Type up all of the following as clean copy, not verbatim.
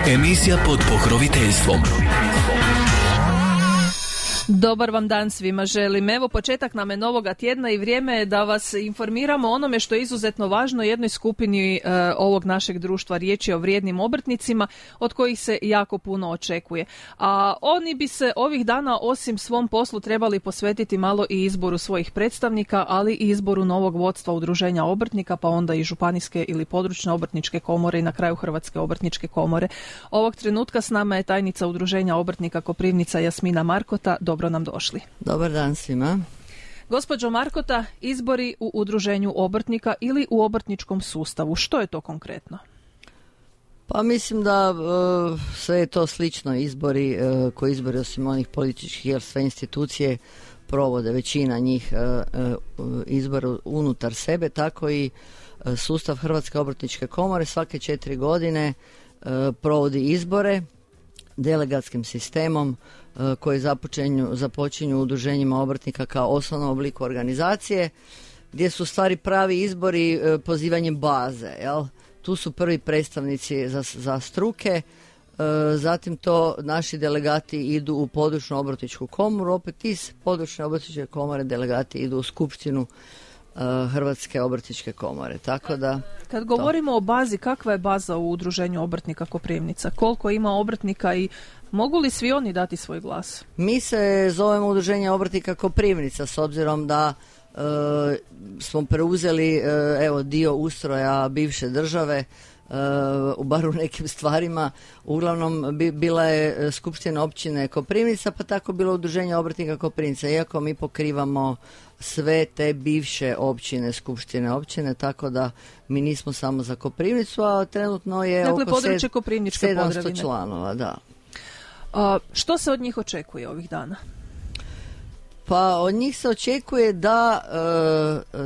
Emisija pod pokroviteljstvom. Dobar vam dan svima želim. Evo, početak nam je novoga tjedna i vrijeme je da vas informiramo o onome što je izuzetno važno jednoj skupini ovog našeg društva. Riječ je o vrijednim obrtnicima od kojih se jako puno očekuje. A oni bi se ovih dana osim svom poslu trebali posvetiti malo i izboru svojih predstavnika, ali i izboru novog vodstva udruženja obrtnika, pa onda i županijske ili područne obrtničke komore i na kraju Hrvatske obrtničke komore. Ovog trenutka s nama je tajnica udruženja obrtnika Koprivnica Jasmina Markota. Dobro nam došli. Dobar dan svima. Gospođo Markota, izbori u udruženju obrtnika ili u obrtničkom sustavu, što je to konkretno? Pa mislim da sve je to slično izbori osim onih političkih, jer sve institucije provode, većina njih izbora unutar sebe, tako i sustav Hrvatske obrtničke komore svake 4 godine provodi izbore delegatskim sistemom koji započinju udruženjima obrtnika kao osnovnom obliku organizacije, gdje su stvari pravi izbori pozivanjem baze. Jel? Tu su prvi predstavnici za struke, zatim to naši delegati idu u područnu obrtničku komoru, opet iz područne obrtničke komore delegati idu u skupštinu Hrvatske obrtničke komore. Tako da, kad govorimo o bazi, kakva je baza u udruženju obrtnika Koprivnica? Koliko ima obrtnika i mogu li svi oni dati svoj glas? Mi se zovemo udruženje obrtnika Koprivnica s obzirom da smo preuzeli dio ustroja bivše države, bar u nekim stvarima. Uglavnom bila je skupština općine Koprivnica, pa tako bilo udruženje obrtnika Koprivnica, iako mi pokrivamo sve te bivše općine, skupštine općine, tako da mi nismo samo za Koprivnicu, a trenutno je dakle, oko područje Koprivničke 700 Podravine. članova, da. Što se od njih očekuje ovih dana? Pa od njih se očekuje da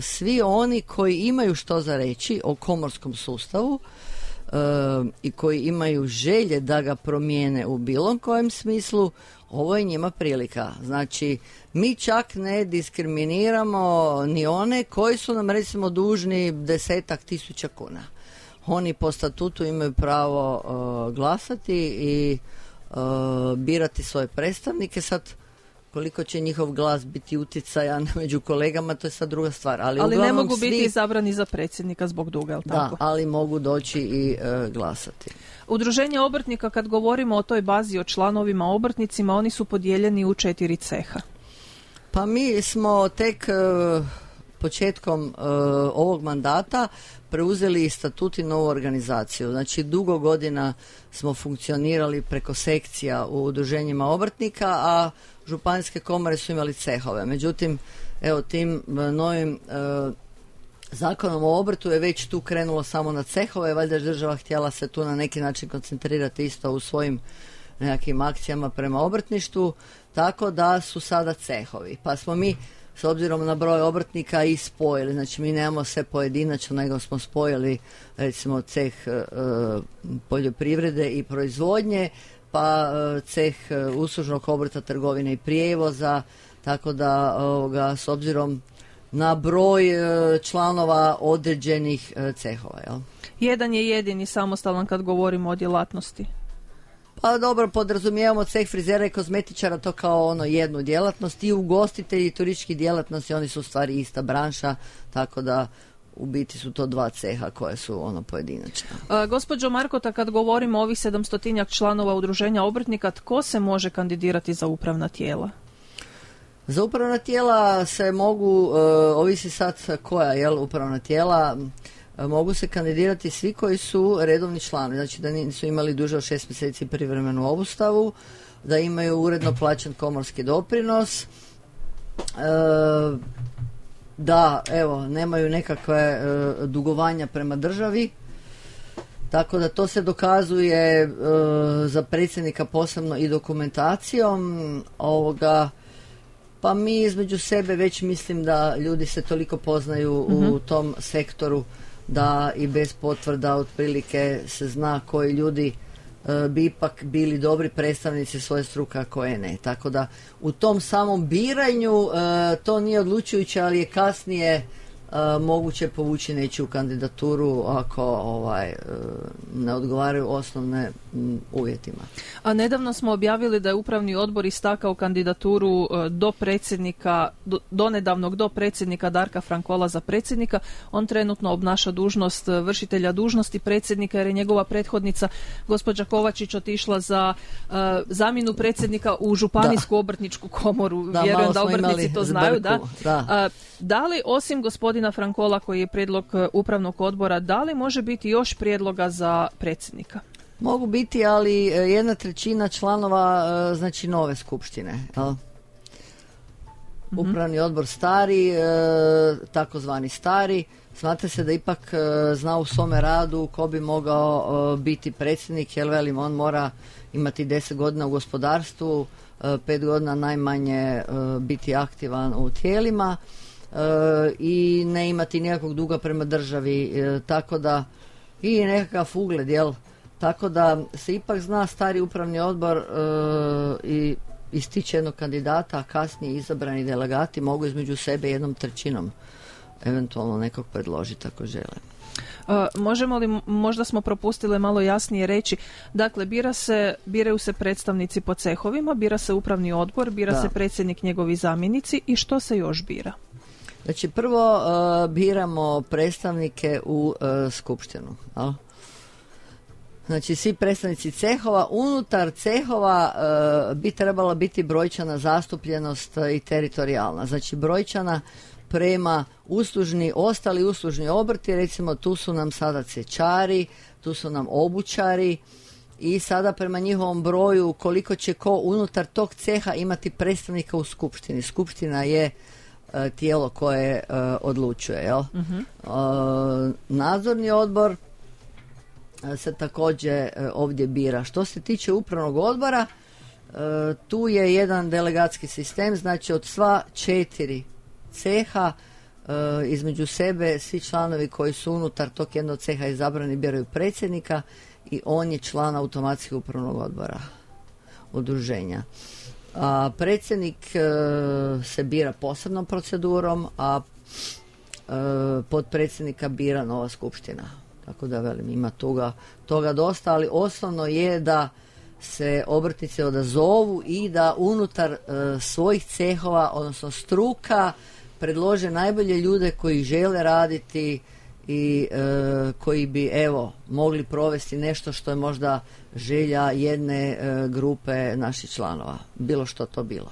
svi oni koji imaju što za reći o komorskom sustavu i koji imaju želje da ga promijene u bilo kojem smislu, ovo je njima prilika. Znači, mi čak ne diskriminiramo ni one koji su nam recimo dužni 10.000 kuna. Oni po statutu imaju pravo glasati i birati svoje predstavnike. Sad, koliko će njihov glas biti utjecajan među kolegama, to je sad druga stvar. Ali ne mogu biti izabrani za predsjednika zbog duga, jel tako? Da, ali mogu doći i glasati. Udruženje obrtnika, kad govorimo o toj bazi, o članovima obrtnicima, oni su podijeljeni u 4 ceha. Pa mi smo tek početkom ovog mandata preuzeli statut i novu organizaciju. Znači, dugo godina smo funkcionirali preko sekcija u udruženjima obrtnika, a županijske komore su imali cehove. Međutim, evo, tim novim zakonom o obrtu je već tu krenulo samo na cehove, valjda je država htjela se tu na neki način koncentrirati isto u svojim nekakvim akcijama prema obrtništvu, tako da su sada cehovi. Pa smo mi s obzirom na broj obrtnika i spojili, znači mi nemamo sve pojedinačno, nego smo spojili recimo ceh poljoprivrede i proizvodnje, pa ceh uslužnog obrta, trgovine i prijevoza, tako da s obzirom na broj članova određenih cehova. Jel? Jedan je jedini samostalan kad govorimo o djelatnosti. Pa dobro, podrazumijevamo ceh frizera i kozmetičara, to kao jednu djelatnost, i ugostitelji i turistički djelatnosti, oni su u stvari ista branša, tako da u biti su to 2 ceha koje su pojedinačna. Gospođo Markota, kad govorimo o ovih 700 članova udruženja obrtnika, tko se može kandidirati za upravna tijela? Za upravna tijela se mogu, ovisi sad koja upravna tijela, mogu se kandidirati svi koji su redovni članovi, znači da nisu imali duže od 6 mjeseci privremenu obustavu, da imaju uredno plaćen komorski doprinos, da nemaju nekakve dugovanja prema državi, tako da to se dokazuje za predsjednika posebno i dokumentacijom pa mi između sebe već mislim da ljudi se toliko poznaju u tom sektoru da i bez potvrda otprilike se zna koji ljudi bi ipak bili dobri predstavnici svoje struke, a koje ne. Tako da u tom samom biranju to nije odlučujuće, ali je kasnije moguće povući nečiju kandidaturu ako ne odgovaraju osnovne uvjetima. A nedavno smo objavili da je upravni odbor istakao kandidaturu do predsjednika, donedavnog do predsjednika Darka Frankola za predsjednika. On trenutno obnaša dužnost vršitelja dužnosti predsjednika jer je njegova prethodnica gospođa Kovačić otišla za zamjenu predsjednika u Županijsku obrtničku komoru. Vjerujem da obrtnici to znaju. Da li osim gospodina Frankola koji je prijedlog upravnog odbora, da li može biti još prijedloga za predsjednika? Mogu biti, ali 1/3 članova znači nove skupštine. Upravni odbor stari, takozvani stari, smatra se da ipak zna u svome radu ko bi mogao biti predsjednik, jer velim, on mora imati 10 godina u gospodarstvu, 5 godina najmanje biti aktivan u tijelima i ne imati nikakvog duga prema državi, tako da i nekakav ugled, jel? Tako da se ipak zna stari upravni odbor i ističe jednog kandidata, a kasnije izabrani delegati mogu između sebe 1/3 eventualno nekog predložiti ako žele. Možemo li, možda smo propustili malo jasnije reći, dakle biraju se predstavnici po cehovima, bira se upravni odbor, bira se predsjednik, njegovi zamjenici i što se još bira? Znači prvo biramo predstavnike u skupštinu. Znači svi predstavnici cehova, unutar cehova bi trebala biti brojčana zastupljenost i teritorijalna. Znači brojčana prema ostali uslužni obrti, recimo tu su nam sada cečari, tu su nam obućari i sada prema njihovom broju koliko će ko unutar tog ceha imati predstavnika u skupštini. Skupština je tijelo koje odlučuje. Jel? Nadzorni odbor se također ovdje bira. Što se tiče upravnog odbora, tu je jedan delegatski sistem, znači od sva 4 ceha između sebe svi članovi koji su unutar tog jednog ceha izabrani biraju predsjednika i on je član automatski upravnog odbora udruženja. A predsjednik se bira posebnom procedurom, a potpredsjednika bira nova skupština. Tako da velim, ima toga dosta, ali osnovno je da se obrtnici odazovu i da unutar svojih cehova, odnosno struka, predlože najbolje ljude koji žele raditi i koji bi mogli provesti nešto što je možda želja jedne grupe naših članova, bilo što to bilo.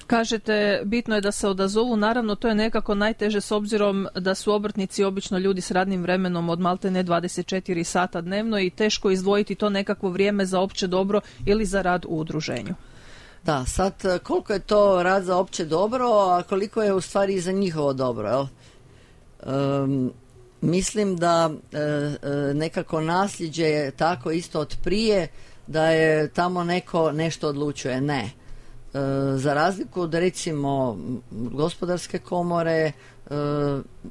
Kažete, bitno je da se odazovu, naravno to je nekako najteže s obzirom da su obrtnici obično ljudi s radnim vremenom od maltene 24 sata dnevno i teško izdvojiti to nekakvo vrijeme za opće dobro ili za rad u udruženju. Da, sad koliko je to rad za opće dobro, a koliko je u stvari i za njihovo dobro, jel? Mislim da nekako nasljeđe je tako isto od prije, da je tamo neko nešto odlučuje. Ne. Za razliku od recimo gospodarske komore,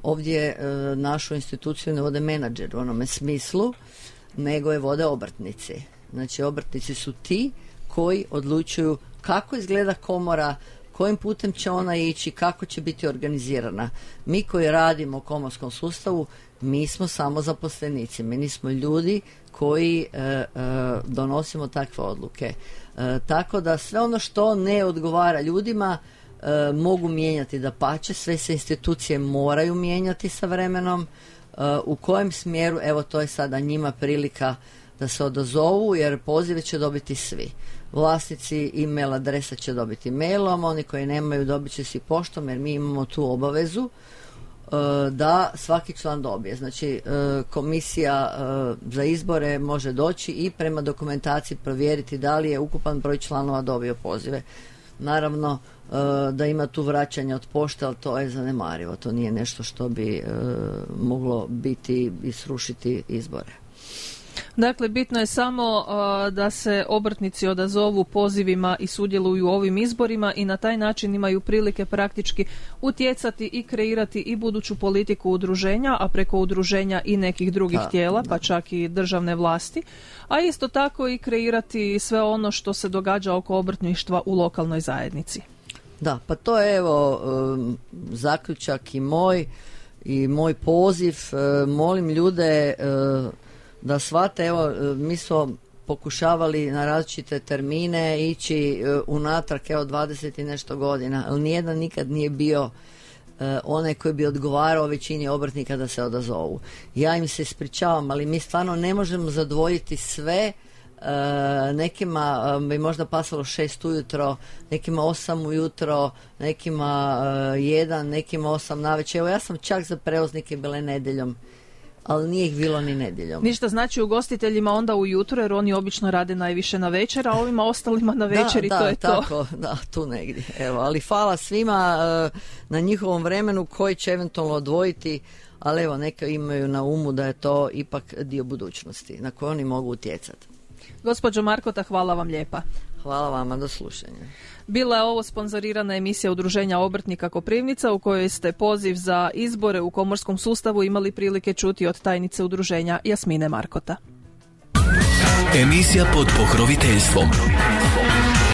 ovdje našu instituciju ne vode menadžer u onome smislu, nego je vode obrtnici. Znači obrtnici su ti koji odlučuju kako izgleda komora, kojim putem će ona ići, kako će biti organizirana. Mi koji radimo u komorskom sustavu, mi smo samo zaposlenici, mi nismo ljudi koji donosimo takve odluke. Tako da sve ono što ne odgovara ljudima mogu mijenjati, dapače, sve se institucije moraju mijenjati sa vremenom. U kojem smjeru, evo to je sada njima prilika da se odazovu, jer pozive će dobiti svi. Vlasnici e-mail adresa će dobiti mailom, oni koji nemaju dobit će si poštom, jer mi imamo tu obavezu da svaki član dobije. Znači komisija za izbore može doći i prema dokumentaciji provjeriti da li je ukupan broj članova dobio pozive. Naravno da ima tu vraćanja od pošte, ali to je zanemarivo. To nije nešto što bi moglo biti i srušiti izbore. Dakle, bitno je samo da se obrtnici odazovu pozivima i sudjeluju u ovim izborima i na taj način imaju prilike praktički utjecati i kreirati i buduću politiku udruženja, a preko udruženja i nekih drugih tijela, pa čak i državne vlasti, a isto tako i kreirati sve ono što se događa oko obrtništva u lokalnoj zajednici. Da, pa to je zaključak i moj i moj poziv, molim ljude da shvate, evo mi smo pokušavali na različite termine ići unatrag 20 i nešto godina, ali nijedan nikad nije bio onaj koji bi odgovarao većini obrtnika da se odazovu. Ja im se ispričavam, ali mi stvarno ne možemo zadovoljiti sve. Nekima bi možda pasalo 6 ujutro, nekima 8 ujutro, nekima 1, nekima 8 navečer. Evo ja sam čak za prevoznike bile nedjeljom, ali nije ih bilo ni nedjeljom. Ništa znači ugostiteljima onda ujutro, jer oni obično rade najviše na večer, a ovima ostalima na večer i to je tako, to. Da, tu negdje. Evo, ali hvala svima na njihovom vremenu koji će eventualno odvojiti, ali evo neka imaju na umu da je to ipak dio budućnosti na koje oni mogu utjecati. Gospođo Markota, hvala vam lijepa. Hvala vama, do slušanja. Bila je ovo sponzorirana emisija Udruženja obrtnika Koprivnica u kojoj ste poziv za izbore u komorskom sustavu imali prilike čuti od tajnice udruženja Jasmine Markota. Emisija pod pokroviteljstvom